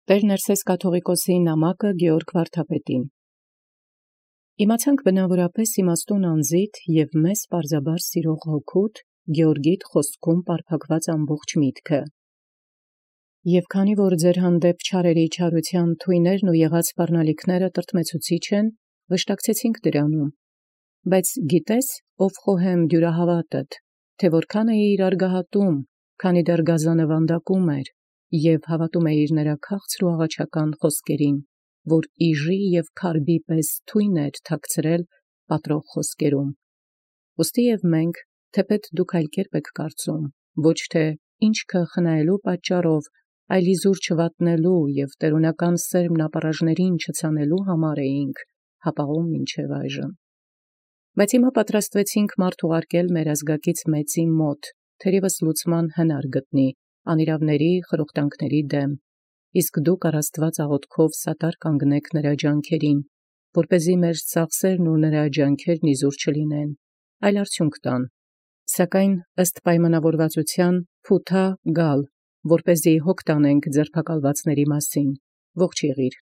Տեր Ներսես կաթողիկոսի նամակը Գեորգ վարդապետին։ Իմացանք բնավորապես իմաստուն անձիդ և մեզ պարզաբար սիրող հոգուդ Գեորգիդ խոսքում պարփակված ամբողջ միտքը։ Եվ քանի որ ձեր հանդեպ չարերի չարության թույներն ու եղած սպառնալիքները տրտմեցուցիչ են, վշտակցեցինք դրանում։ Բայց գիտես, ով խոհեմ դյուրահավատդ, թե որքան էիր արգահատում, քանի դեռ գազանը վանդակում էր, և հավատում էիր նրա քաղցր ու աղաչական խոսքերին, որ իժի և քարբի պես թույն էր թաքցրել պատրող խոսքերում։ Ուստի և մենք, թեպետ դուք այլ կերպ եք կարծում, ոչ թե ինչքը խնայելու պատճառով, այլ իզուր չվատնելու և տերունական սերմն ապառաժներին չցանելու համար էինք հապաղում մինչև այժմ։ Բայց հիմա պատրաստվեցինք մարդ ուղարկել մեր ազգակից մեծի մոտ, թերևս լուծման հնար գտնի անիրավների խրոխտանքների դեմ, իսկ դուք առ Աստված աղոթքով սատար կանգնեք նրա ջանքերին, որպեսզի մեր ծախսերն ու նրա ջանքերն իզուր չլինեն, այլ արդյունք տան, սակայն ըստ պայմանավորվածության փութա գալ, որպեսզի հոգ տանենք ձերբակալվածների մասին, ողջ եղիր։